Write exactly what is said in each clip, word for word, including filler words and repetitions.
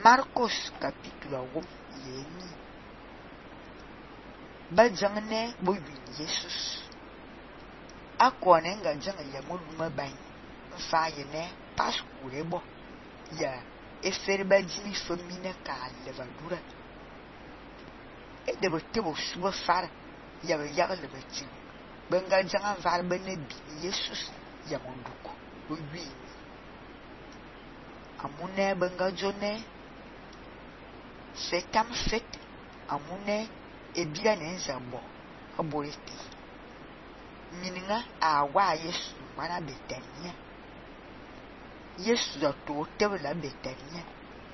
Marcos capítulo one yeni. Ba jangene bo yin Jesus. Akone nga jang ya moluma ban. Fa yene paskure bo. Ya efere ba jimi famine ka levadura. E de bo te bo suba far ya ba yaga le beti. Benga janga var bene bi Jesus ya monduko. Bo wi. Amune benga jone setam fet amune ebira nenza bo aborete. Mininga awa Yesu mana Betania. Yesu da to tebela Betania.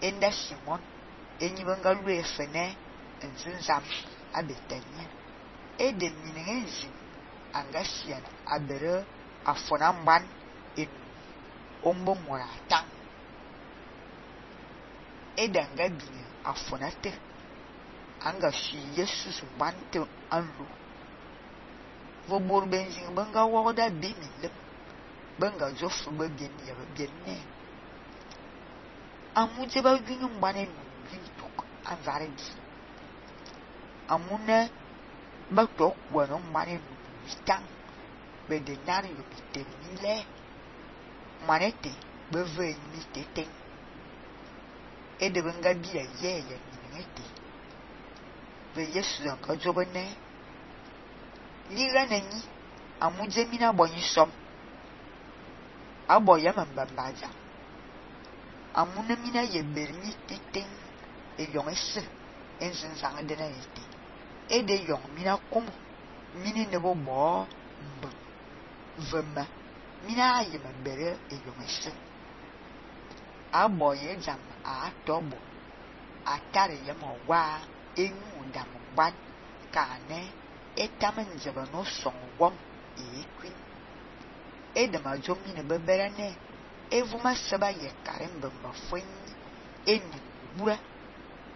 Enda Simon enyi benga lue fene nzinzam a Betania. E de mininga nzi angasian abere afona mban en ombo morata. E danga bine afonate anga shi Jesus bante anlu vo bor benzin banga woda bimile banga jofu ba bien ya ba bien ne amuje ba ginu mbane bin tok anvaredi amune ba tok wono mbane bitang be de nari yo bitemile manete be ve mi tete e de banga bia ye ya minete ve Yesu anka jobane liga nani amuje mina bonyi som aboya mambambaja amuna mina ye bermi teten e yongese ensin sang de na ete e de yong mina kom mini ne bo bo mb vema mina ye mambere e yongese aboye jam a tobo atare ye mo wa enu dam ban kane etamen jeba no songwom e kwin edema jomi ne beberane evuma seba ye karen bemba fwen eni bura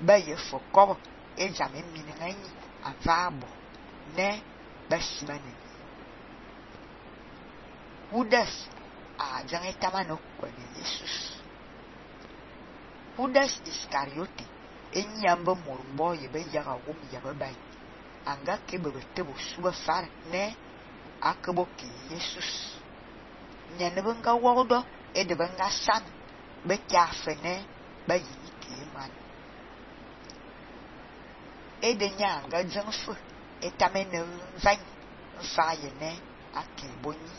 ba ye fokobo e jame minanyi avabo ne basimane Judas a jange tamano kwa Jesus. Judas Iscariote enyamba morumbo ye be yaga wum yaga bai anga ke be tebo suba far ne akabo ki Jesus nyane benga wodo e de benga san be kafene ba yi ki man e de nyanga janfu e tamene van fa ye ne akiboni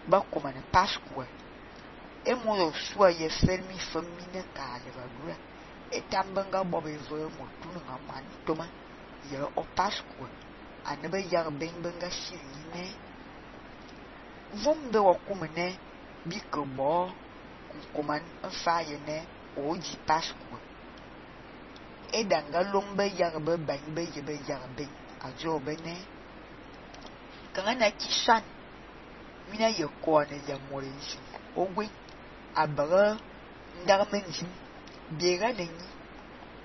ba kuma ne Pascua e mo suwa ye fermi famine ka le badura e tambanga bobe vo mo tunu ngaman toma ye o Pascua anabe yar ben benga shirine vombe wa kuma ne bikobo kuman fa ye ne oji Pascua e danga lombe yar be ban be ye be yar ben ajo bene kangana kishan mina ye ko ne ya morensi ogwe abara ndarmenjim biega nenyi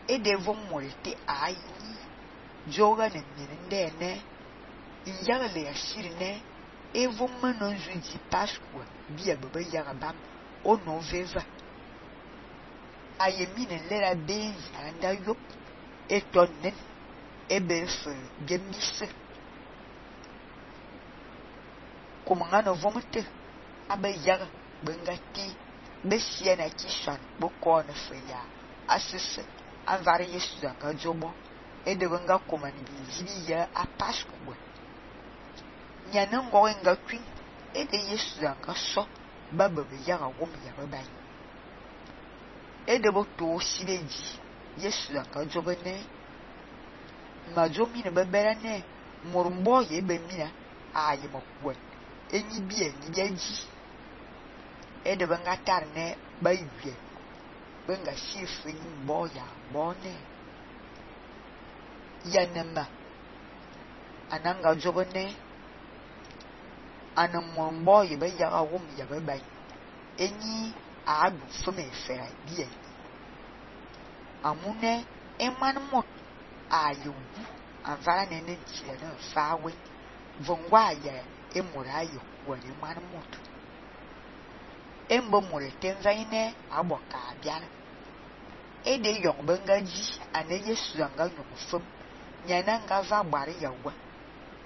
e devo morete ayi joga ne nende ne injaga le ashirine evo manonju di Pascua bia baba yaga bam ono veva ayemine lera benzi anda yop etonnen ebefe gemise kumangano vomete abe yaga bengati besia na kishan boko na feya asese anvare Yesu anga jobo e de benga komani bizi ya a Pascua nyana ngo nga twin e de Yesu anga so baba be yaga wom ya baba e de bo to sibeji Yesu anga jobo ne majomi ne bebera ne morumbo ye be mina aye mokwa enyi bi enyi yaji e de benga tarne bayue benga shifin boya bone yanema ananga jobone anamon boy be yaga wum ya be bai enyi adu fume fera bie amune eman mot ayubu avara nene tiere fawe vongwa ya emurayo wani man mot embo mure tenzaine aboka biara e de yong benga ji ane Yesu anga nyong fem nyana nga va bari yawa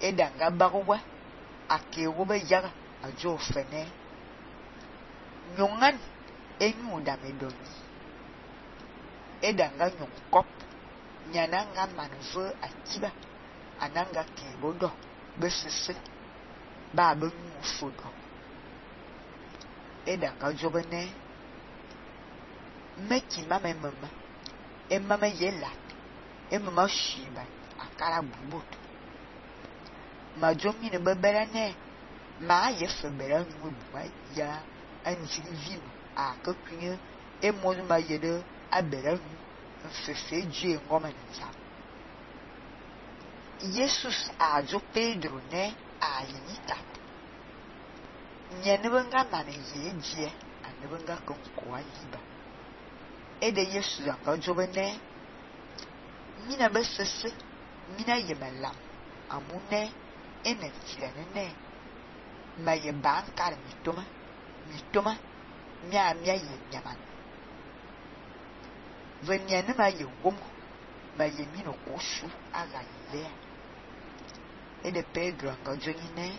e danga bagwa ake wo be yaga ajo fene nyongan enyu da medoni e danga nyong kop nyana nga manve atiba ananga ke bodo besese ba be nyu fodo e danga jobene meki mama mama e mama yela e mama shiba akara bubut ma jomi ne bebera ne ma ye febera nwu bua ya anjiri vino a kakunye e mozu ma yede abera nwu mfefe je ngoma nza Jesus a jo Pedro ne a yita nyene benga mane ye je ane benga konkoa yiba e de Yesu anga jo bene mina besese mina yemela amune ene tirene ne ma ye bankar mitoma mitoma mia mia ye nyaman venyane ma ye wom ma ye mino kosu aga ile e de Pedro anga jo ne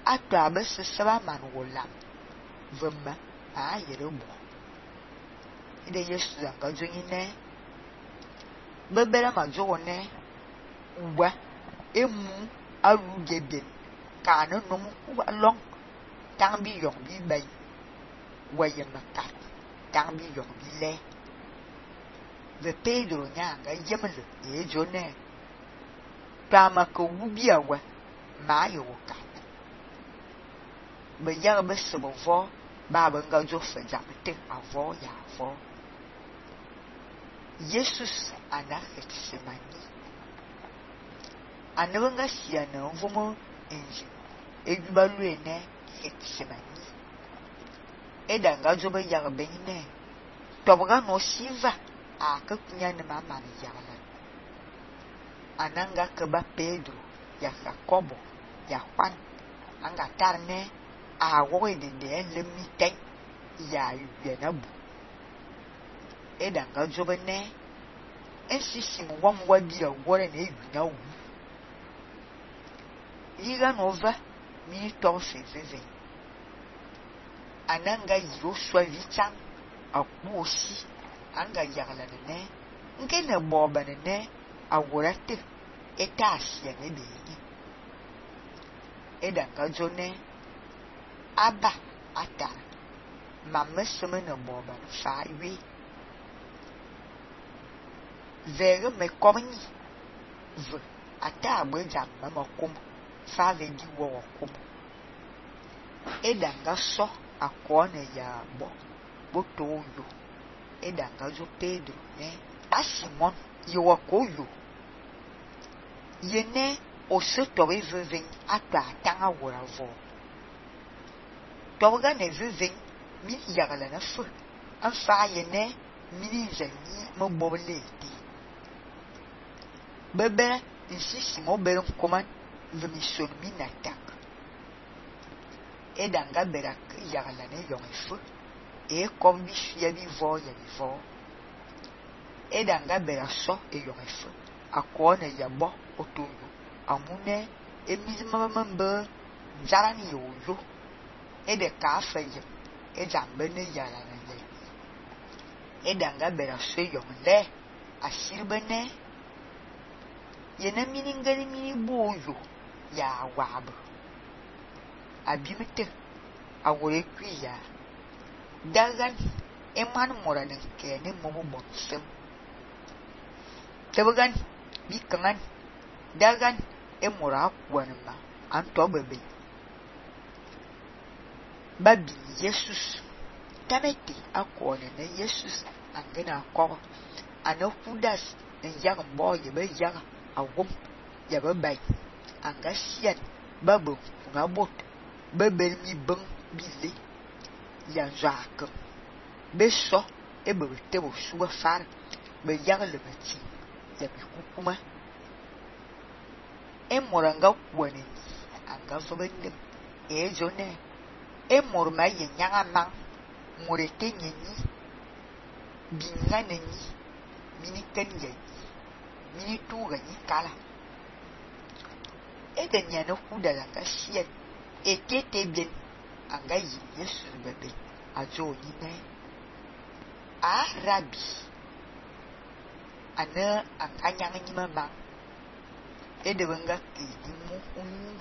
ato abesese ba man wolam vemma a yere bo e de Yesu anga jo ne bebera ma jo ne uwa emu aru gebe ka no no mu long tang bi yong bi bai waye makat tang bi yong bi le ve Pedro nya ga yemle e jo ne tama ko wubi awa ma yo ka be ya be se bo vo ba ba nga jo fe ja te avo ya vo Jesus ana Getsemani anabanga siana vomo enji ejubalu ene Getsemani edanga jobe yarbe ne tobaga no siva akakunya ne mama ne yala ananga keba Pedro ya Jacobo ya Juan anga tarne a wowe de de le miten ya yenabu edanga jobe ne ensisi mo wam wadi awore na egunya wu yiga nova mi to feveve ananga yiro swa vichang akuosi anga yagala ne nke ne boba ne awurate etasi ya ne de edanga jone aba ata mameseme ne boba fa wi vere me komni v ata agbeja mama kom fa ve di wo kom edanga so akone ya bo boto yo edanga jo Pedro ne asimon yo koyo yene o se to veve ata tanga wora vo to ga ne veve mi yagala na fu afa yene mi zani mo bobele bebe insisi mo bere koman vemi son minatak edanga berak yagala ne yonfu e kom bi fia bi vo ya bi vo edanga bera so e yonfu akone yabo otoyo amune emizima mambe njarani yoyo ede ka afeye ejambe ne yala na le edanga bera so yonle asirbene yena mini ngani mini boyo ya wab abimete awore kwiya dagan eman moranen kene momo bonsem tebagan bikangan dagan emora kwanma anto bebe babi Jesus tamete akone na Jesus angena akọ anokudas enjang boye be jaga awom ya babai angasian babo ngabot bebel mi ben bile ya jacques beso ebe tebo suwa far be yaga le mati ya bikukuma e moranga kwani anga sobende e jone e morma ye nyaga ma morete nyeni bingana ni mini kenya mini tuga ni kala ede nyana kuda la kasien etete bien anga yi Yesu bebe ajo ni ne a rabi ana akanya ni mama ede banga ki mu unu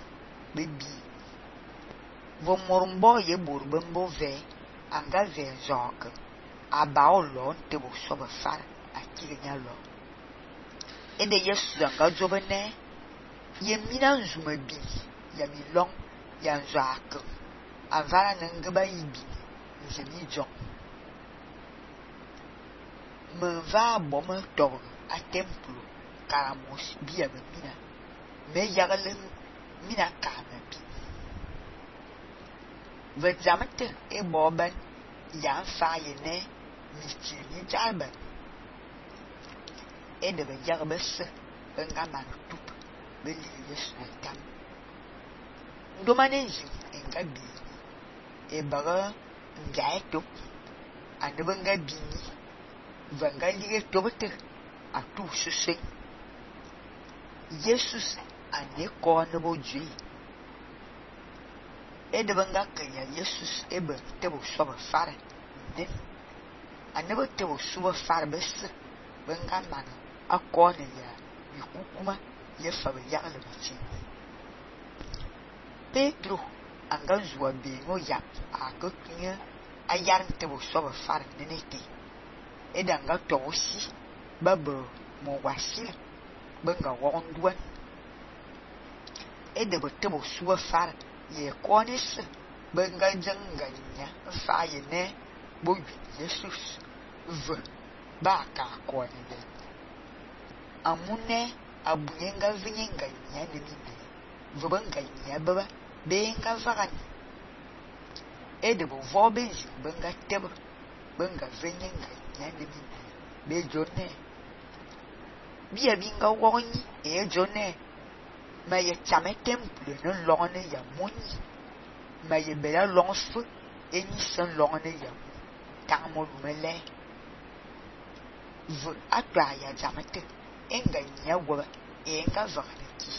bebi vo morumbo ye borbembo ve anga ve jok aba olo nte bo so ba far akiri nya lo ede Yesu anga jobene ye mina nzuma bi ya mi long ya nzak avara nangaba yibi nze mi jok me va boma to a templo karamos biya me mina me yagalen mina kama bi vedzamte e boban ya fa ye ne mi ti ni jalban e de be jagbes nga man tup beli Yesu tam ndomane nji enga bi e baga ngai tup ande benga bi ni vanga lige tobete atu sese Jesus ane ko ne boji e de benga kanya Jesus e be te bo so ba fare ne ane bo te bo so ba fare bes benga man akone ya ikukuma ye fa be ya le bichi Pedro anga zuwa be no ya akotunya ayar te bo so ba fare ne nete edanga tosi babo mo wasi benga wonduan edebo tebo suwa far ye konis benga janganya fa ye ne bo Jesus v baka kone de amune abuyenga vinyenga nya ne minde v benga nya baba benga vagan edebo vobezi benga tebo benga vinyenga nyande mi be jone bia binga woni e jone ma ye chame temple no lone ya moni ma ye bela lonfu eni san lone ya tamo mele v atwa ya jamete enga nya wo enga vakaniki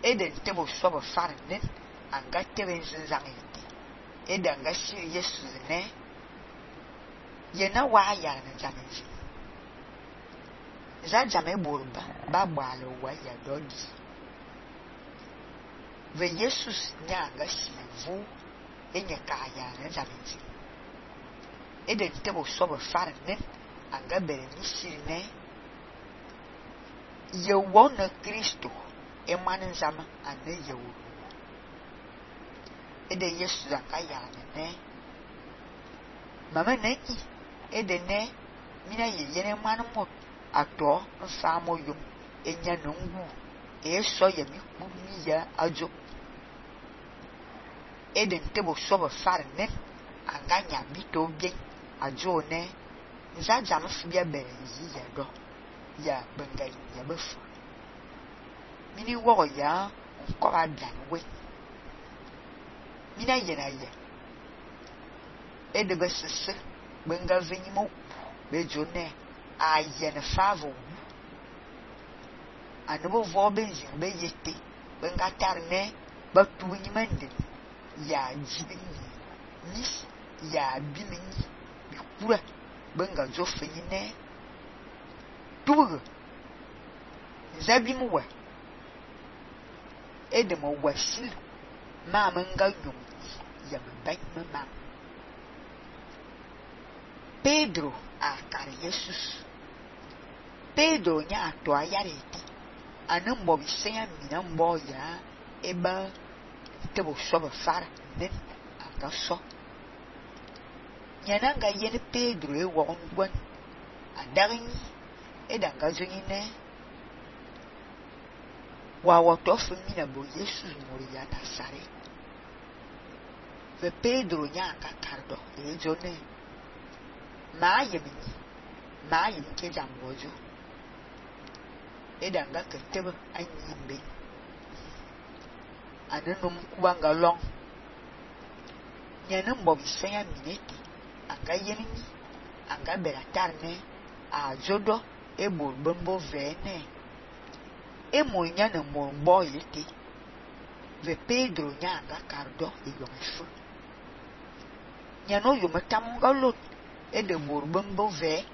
eden tebo sobo farnen anga tebe nzanzangi edanga shi Yesu ne ye na wa ya na jameji za jame borba ba gbalo wa ya dodi ve Jesus nya ga sivu enye ka ya na jameji ede tebo sobo farne anga bere ni sirne ye wona Kristo e manin zama ane ye wo ede Jesus anga ya ne mama neki edene mina ye yene manu mo ato nfa mo yum enya nungu e so ye mi ku mi ya ajo eden tebo so ba farne anganya bito bien ajo ne nza jam fibia bere yi ya do ya benga ya befu mini wo ya ko adan we mina ye na ye ede besese benga vinimo bejone ayene favo anobo vobenzi beyete benga tarne batuwini mende ya jibini nis ya bimini bikura benga zofenyine tuwe zabimuwa edemo wasil mama nga yum ya mbay mama Pedro akar Jesus Pedro nya ato ayareti anan bo bisenya mina mbo ya eba tebo soba fara nen aka so nyana nga yene Pedro e won gwan adarin edanga zonyine wa wotofu mina bo Jesus mori ya tasare ve Pedro nya aka kardo e jone ma yemini ma yim ke jambojo edanga ketebe anyimbe anenum kubanga long nyanum bo bisenya mineti anga yenini anga bela tarne a jodo e bol bombo vene e monya na morbo yete ve Pedro nyanga kardo e yomefu nyano yomatam galot e de bol bombo ve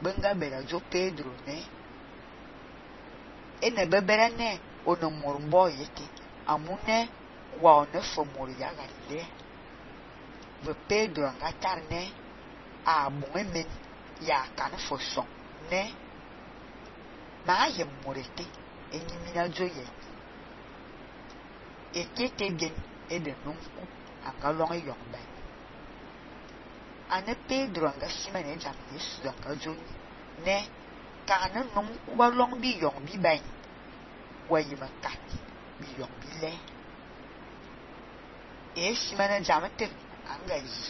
benga bela jo Pedro ne e ne bebere ne ono morbo yete amune wa one fo mor ya galile ve Pedro anga tarne a bungemen ya kan fo son ne ma ye morete enyimina joye ekete bien e de nunku anga long yongba ane Pedro anga simane jam Yesu anga joni ne kana nunku ba long bi yong bi bai wa yima kat bi yong bi le e simane jam te anga yi